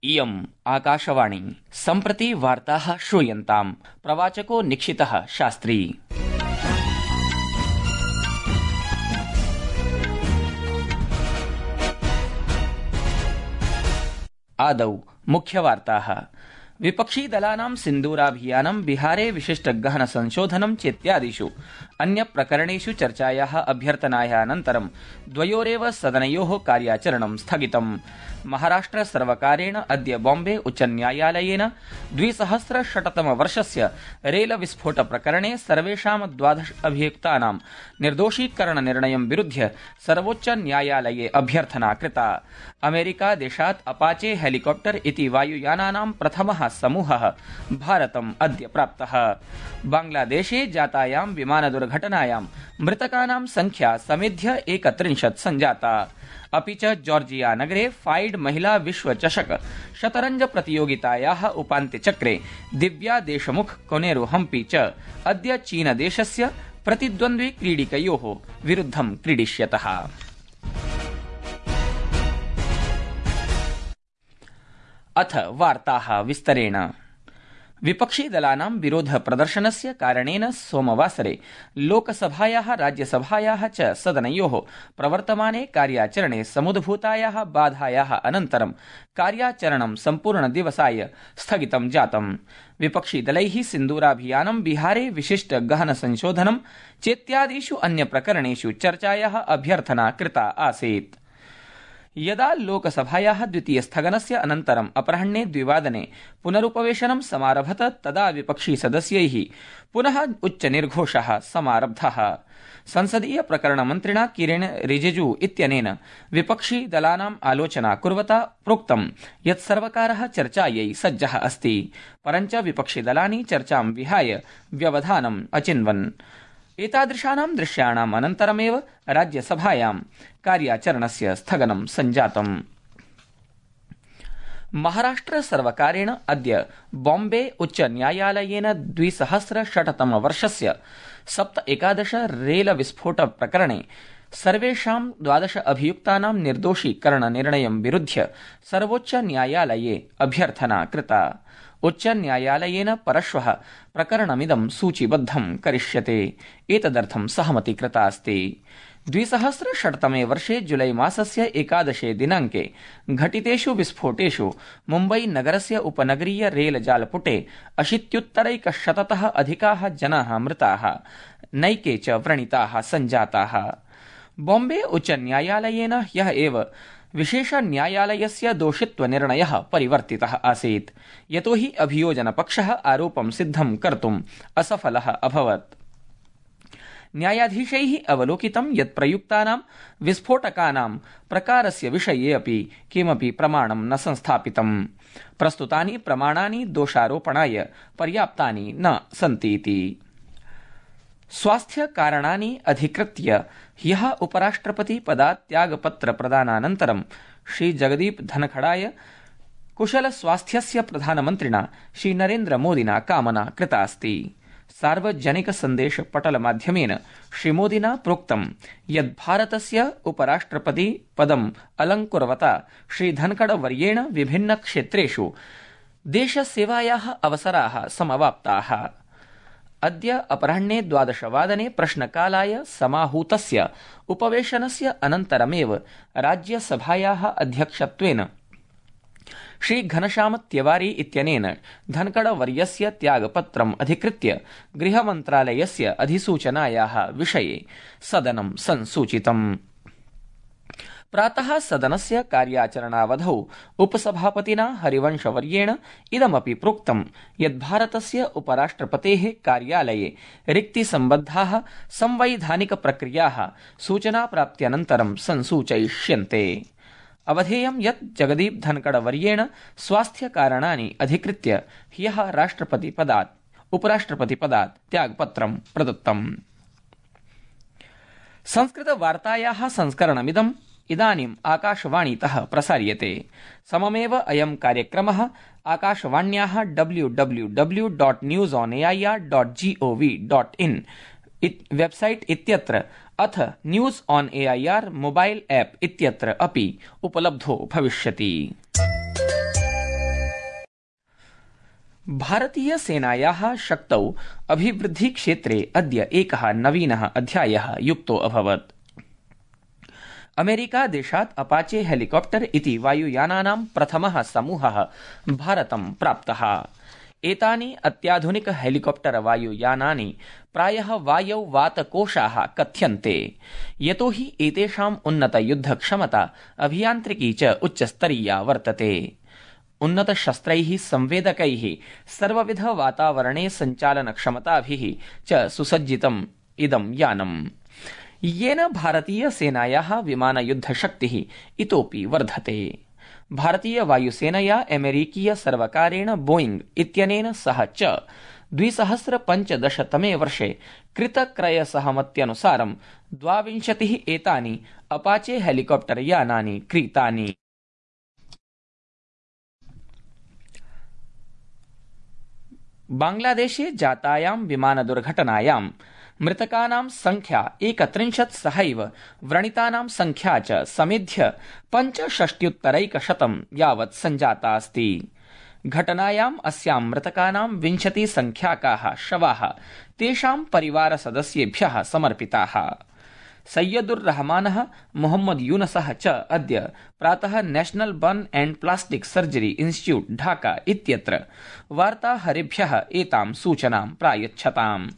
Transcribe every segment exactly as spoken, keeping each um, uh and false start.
इयम् आकाशवाणी। सम्प्रति वार्ताः श्रूयन्ताम्। प्रवाचको निक्षितः शास्त्री। आदौ मुख्यवार्ताः। विपक्षी दलानां सिन्दूराभियानं बिहारे विशिष्ट गहन संशोधनं चेत्यादिषु अन्य प्रकरणेषु चर्चायाः अभ्यर्थनायानन्तरं द्वयोरेव सदनयोः कार्याचरणं स्थगितम्। महाराष्ट्र सर्वकारेण अद्य बॉम्बे उच्चन्यायालयेन द्विसहस्रषट्तमवर्षस्य रेल विस्फोट प्रकरणे सर्वेषां द्वादश अभियुक्तानां निर्दोषीकरणनिर्णयं विरुध्य सर्वोच्च न्यायालये अभ्यर्थना कृता। अमेरिका देशात् अपाचे हेलिकॉप्टर इति वायुयानानां प्रथमः समूहः भारतम् अद्य प्राप्तः। बांग्लादेशे जातायां विमानदुर्घटनायां मृतकानां संख्या समेध्य एकत्रिंशत् संजाता। अपि च जॉर्जिया नगरे फाइड महिला विश्व चषक शतरंज प्रतियोगितायाः उपान्त्यचक्रे दिव्या देशमुख कोनेरु हम्पी च अद्य चीनदेशस्य प्रतिद्वन्द्वी क्रीडिकयोः विरुद्धं क्रीडिष्यतः। अथ वार्ताः विस्तरेण। विपक्षी दलानां विरोध प्रदर्शनस्य कारणेन सोमवासरे लोकसभायाः राज्यसभायाः च सदनयोः प्रवर्तमाने कार्याचरणे समुद्भूतायाः बाधायाः अनन्तरं कार्याचरणं सम्पूर्णदिवसाय स्थगितं जातम्। विपक्षी दलैः सिन्दूराभियानं बिहारे विशिष्ट गहन संशोधनं चेत्यादिषु अन्य प्रकरणेषु चर्चायाः अभ्यर्थना कृता आसीत्। यदा लोकसभायाः द्वितीय स्थगनस्य अनन्तरम् अपराह्ने द्विवादने पुनरुपवेशनं समारभत तदा विपक्षी सदस्यैः पुनः उच्चनिर्घोषः समारब्धः। संसदीय प्रकरणमन्त्रिणा किरेन रिजिजू इत्यनेन विपक्षी दलानाम् आलोचना कुर्वता प्रोक्तं यत् सर्वकारः चर्चायै सज्जः अस्ति, परञ्च विपक्षी दलानि चर्चां विहाय व्यवधानम् अचिन्वन्। एतादृशानां दृश्याणाम् अनन्तरमेव राज्यसभायां कार्याचरणस्य स्थगनं सञ्जातम्। महाराष्ट्र सर्वकारेण अद्य बॉम्बे उच्च न्यायालयेन द्विसहस्रषट्तमवर्षस्य सप्त एकादश रेल विस्फोट प्रकरणे सर्वेषां द्वादश अभियुक्तानां निर्दोषीकरणनिर्णयं विरुध्य सर्वोच्च न्यायालये अभ्यर्थना कृता। उच्च न्यायालयेन परश्वः प्रकरणमिदं सूचीबद्धं करिष्यते। एतदर्थं सहमति कृता अस्ति। द्विसहस्रषट्तमे वर्षे जुलै मासस्य एकादशे दिनाङ्के घटितेषु विस्फोटेषु मुम्बई नगरस्य उपनगरीय रेलजालपुटे अशीत्युत्तरैकशततः अधिकाः जनाः मृताः, नैके च व्रणिताः सञ्जाताः। बॉम्बे उच्च न्यायालयेन ह्यः एव विशेष न्यायालयस्य दोषित्वनिर्णयः परिवर्तितः आसीत्, यतोहि अभियोजनपक्षः आरोपं सिद्धं कर्तुम् असफलः अभवत्। न्यायाधीशैः अवलोकितं यत् प्रयुक्तानां विस्फोटकानां प्रकारस्य विषये अपि किमपि प्रमाणं न संस्थापितम्। प्रस्तुतानि प्रमाणानि दोषारोपणाय पर्याप्तानि न सन्तीति। स्वास्थ्य कारणानि अधिकृत्य ह्यः उपराष्ट्रपति पदात् त्यागपत्र प्रदानानन्तरं श्री जगदीप धनखड़ाय कुशल स्वास्थ्यस्य प्रधानमन्त्रिणा श्री नरेन्द्र मोदिना कामना कृता अस्ति। सार्वजनिक सन्देश पटल माध्यमेन श्रीमोदिना प्रोक्तं यत् भारतस्य उपराष्ट्रपति पदम् अलङ्कुर्वता श्री धनखड़ वर्येण विभिन्न क्षेत्रेषु देशसेवायाः अवसराः समवाप्ताः। अद्य अपराह्ने द्वादशवादने प्रश्नकालाय समाहूतस्य उपवेशनस्य अनन्तरमेव राज्यसभायाः अध्यक्षत्वेन श्री घनश्याम तिवारी इत्यनेन धनखड़ वर्यस्य त्यागपत्रम् अधिकृत्य गृहमन्त्रालयस्य अधिसूचनायाः विषये सदनं संसूचितम्। प्रातः सदनस्य कार्याचरणावधौ उपसभापतिना हरिवंशवर्येण इदमपि प्रोक्तं यत् भारतस्य उपराष्ट्रपतेः कार्यालये रिक्तिसम्बद्धाः संवैधानिक प्रक्रियाः सूचनाप्राप्त्यनन्तरं संसूचयिष्यन्ते। अवधेयं यत् जगदीप धनखड़ वर्येण स्वास्थ्यकारणानि अधिकृत्य ह्यः राष्ट्रपतिपदात् उपराष्ट्रपतिपदात् त्यागपत्रं प्रदत्तम्। संस्कृतवार्तायाः संस्करणमिदं इदानीम् आकाशवाणीतः प्रसार्यते। सममेव अयं कार्यक्रमः आकाशवाण्याः W W W dot news on AIR dot G O V dot in website इत्यत्र अथ news on AIR mobile app इत्यत्र अपि उपलब्धो भविष्यति। भारतीय सेनायाः शक्तौ अभिवृद्धि क्षेत्रे अद्य एकः नवीनः अध्यायः युक्तो अभवत्। अमेरिका देशात् अपाचे हेलिकॉप्टर इति वायुयानानां प्रथमः समूहः भारतं प्राप्तः। एतानि अत्याधुनिक हेलिकॉप्टर वायुयानानि प्रायः वायौ वातकोशाः कथ्यन्ते, यतोहि एतेषाम् उन्नत युद्धक्षमता अभियान्त्रिकी च उच्चस्तरीया वर्तते। उन्नत शस्त्रैः संवेदकैः सर्वविध वातावरणे सञ्चालनक्षमताभिः च सुसज्जितम् इदं यानम्, येन भारतीय सेनायाः विमानयुद्धशक्तिः इतोपि वर्धते। भारतीय वायुसेनया अमेरिकीय सर्वकारेण बोइंग इत्यनेन सह च द्विसहस्र पञ्चदशतमे वर्षे कृतक्रयसहमत्यनुसारं द्वाविंशतिः एतानि अपाचे हेलिकॉप्टर यानानि क्रीतानि। बांग्लादेशे जातायां विमानदुर्घटनायां मृतकानां संख्या एकत्रिंशत् सहैव व्रणितानां संख्या च समेध्य पञ्चषष्ट्युत्तरैकशतं यावत् सञ्जाता अस्ति। घटनायाम् अस्यां मृतकानां विंशति संख्याकाः शवाः तेषां परिवारसदस्येभ्यः समर्पिताः। सैयदुर रहमानः मोहम्मद यूनसः च अद्य प्रातः national burn and plastic surgery institute Dhaka इत्यत्र वार्ताहरेभ्यः एतां सूचनां प्रायच्छताम्।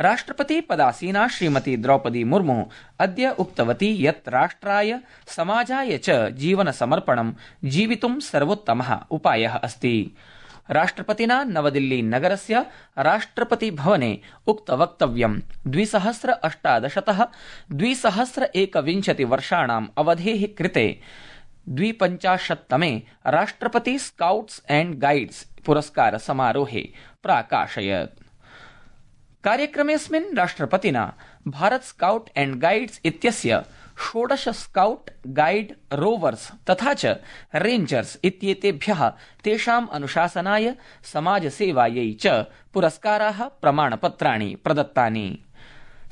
राष्ट्रपति पदासीना श्रीमती द्रौपदी मुर्मु अद्य उक्तवती यत् राष्ट्राय समाजाय च जीवनसमर्पणं जीवितुं सर्वोत्तमः उपायः अस्ति। राष्ट्रपतिना नवदिल्ली नगरस्य राष्ट्रपति भवने उक्तवक्तव्यं द्विसहस्र अष्टादशतः द्विसहस्र एकविंशति वर्षाणाम् अवधेः कृते द्विपञ्चाशत्तमे राष्ट्रपति स्काउट्स एंड गाइड्स पुरस्कार समारोहे प्राकाशयत्। कार्यक्रमेऽस्मिन् राष्ट्रपतिना भारत स्काउट एंड गाइड्स इत्यस्य षोडश स्काउट गाइड रोवर्स तथा च रेंजर्स इत्येतेभ्यः तेषाम् अनुशासनाय समाजसेवायै च पुरस्काराः प्रमाणपत्राणि प्रदत्तानि।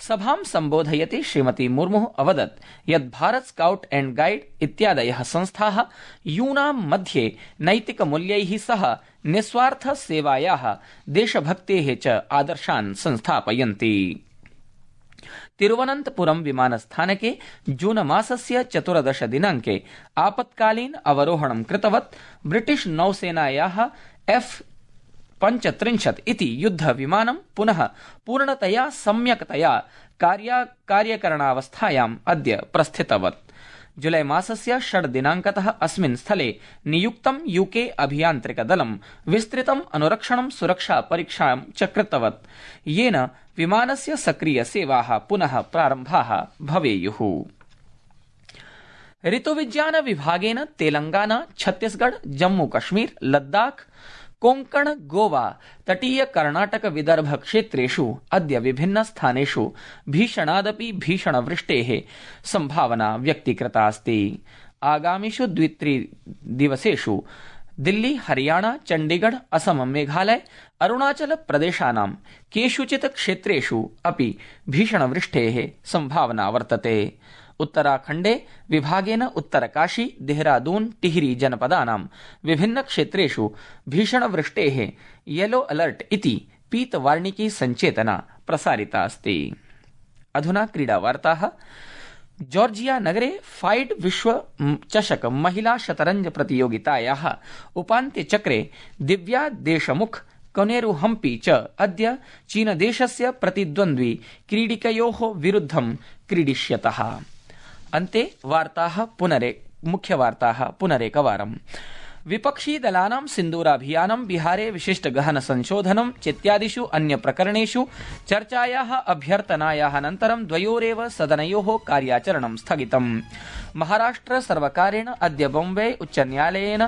सभां सम्बोधयति श्रीमती मुर्मुः अवदत् यत् भारत स्काउट एंड गाइड इत्यादयः संस्थाः यूनां मध्ये नैतिकमूल्यैः सह निस्वार्थ सेवायाः देशभक्तेः च आदर्शान् संस्थापयन्ति। तिरुवनन्तपुरम विमानस्थानके जून मासस्य चतुर्दश दिनाङ्के आपत्कालीन अवरोहणं कृतवत् ब्रिटिश नौसेनायाः एफ पञ्चत्रिंशत् इति युद्धविमानं पुनः पूर्णतया सम्यक्तया कार्यकरणावस्थायाम् अद्य प्रस्थितवत्। जुलै मासस्य षड् दिनाङ्कतः अस्मिन् स्थले नियुक्तं यूके अभियान्त्रिकदलं विस्तृतम् अनुरक्षणं सुरक्षा परीक्षां च कृतवत्, येन विमानस्य सक्रियसेवाः पुनः प्रारम्भाः भवेयुः। ऋतुविज्ञान विभागेन तेलंगाना, छत्तीसगढ़, जम्मू कश्मीर, लद्दाख, कोंकण, गोवा, तटीय कर्णाटक विदर्भ क्षेत्रेषु अद्य विभिन्न स्थानेषु भीषणादपि भीषणवृष्टेः संभावना व्यक्तीकृता अस्ति। आगामिषु द्वित्रिदिवसेषु दिल्ली, हरियाणा, चण्डीगढ़, असम, मेघालय, अरुणाचल प्रदेशानां केषुचित् क्षेत्रेषु अपि भीषणवृष्टेः संभावना वर्तते। उत्तराखण्डे विभागेन उत्तरकाशी, देहरादून, टिहरी जनपदानां विभिन्न क्षेत्रेषु भीषणवृष्टेः येलो अलर्ट इति पीतवार्णिकी संचेतना प्रसारिता अस्ति। अधुना क्रीडावार्ताः। जॉर्जिया नगरे फाइड विश्व चषक महिला शतरंज प्रतियोगितायाः उपान्त्यचक्रे दिव्या देशमुख, कोनेरु हम्पी च अद्य चीनदेशस्य प्रतिद्वन्द्वी क्रीडिकयोः विरुद्धं क्रीडिष्यतः। अन्ते वार्ताः पुनरे मुख्यवार्ताः पुनरेकवारम्। विपक्षी दलानां सिन्दूराभियानं, बिहारे विशिष्ट गहन संशोधनं चेत्यादिषु अन्य प्रकरणेषु चर्चायाः अभ्यर्थनायाः अनन्तरं द्वयोरेव सदनयोः कार्याचरणं स्थगितम्। महाराष्ट्र सर्वकारेण अद्य बॉम्बे उच्चन्यायालयेन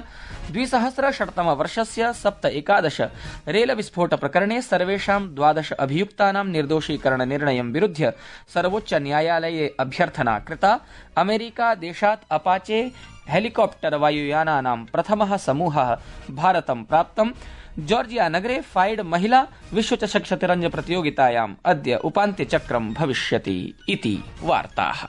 द्विसहस्रषट्तमवर्षस्य सप्त एकादश रेल विस्फोट प्रकरणे सर्वेषां द्वादश अभियुक्तानां निर्दोषीकरण निर्णयं विरुध्य सर्वोच्च न्यायालये अभ्यर्थना कृता। अमेरिका देशात् अपाचे हेलिकॉप्टर वायुयानानां प्रथमः समूहः भारतं प्राप्तम्। जॉर्जिया नगरे फाइड महिला विश्वचषक शतरंज प्रतियोगितायाम् अद्य उपान्त्यचक्रं भविष्यति इति वार्ताः।